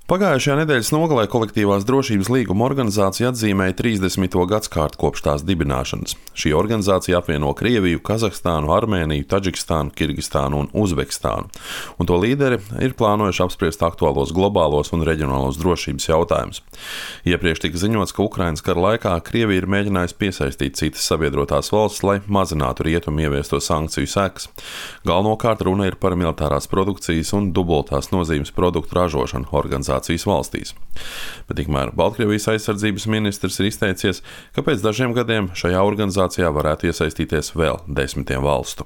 Pagājušajā nedēļas nogalē kolektīvās drošības līguma organizācija atzīmēja 30. gadskārtu kopš tās dibināšanas. Šī organizācija apvieno Krieviju, Kazahstānu, Armēniju, Taģikstānu, Kirgistānu un Uzbekistānu, un to līderi ir plānojuši apspriest aktuālos globālos un reģionālos drošības jautājumus. Iepriekš tika ziņots, ka Ukrainas kara laikā Krievija ir mēģinājusi piesaistīt citas sabiedrotās valstis, lai mazinātu rietumu ieviesto sankciju sekas. Galvenokārt runa ir par militārās produkcijas un dubultās nozīmes produktu ražošanu organizācijas valstīs. Bet tikmēr Baltkrievijas aizsardzības ministrs ir izteicies, ka pēc dažiem gadiem šajā organizācijā varētu iesaistīties vēl 10 valstu.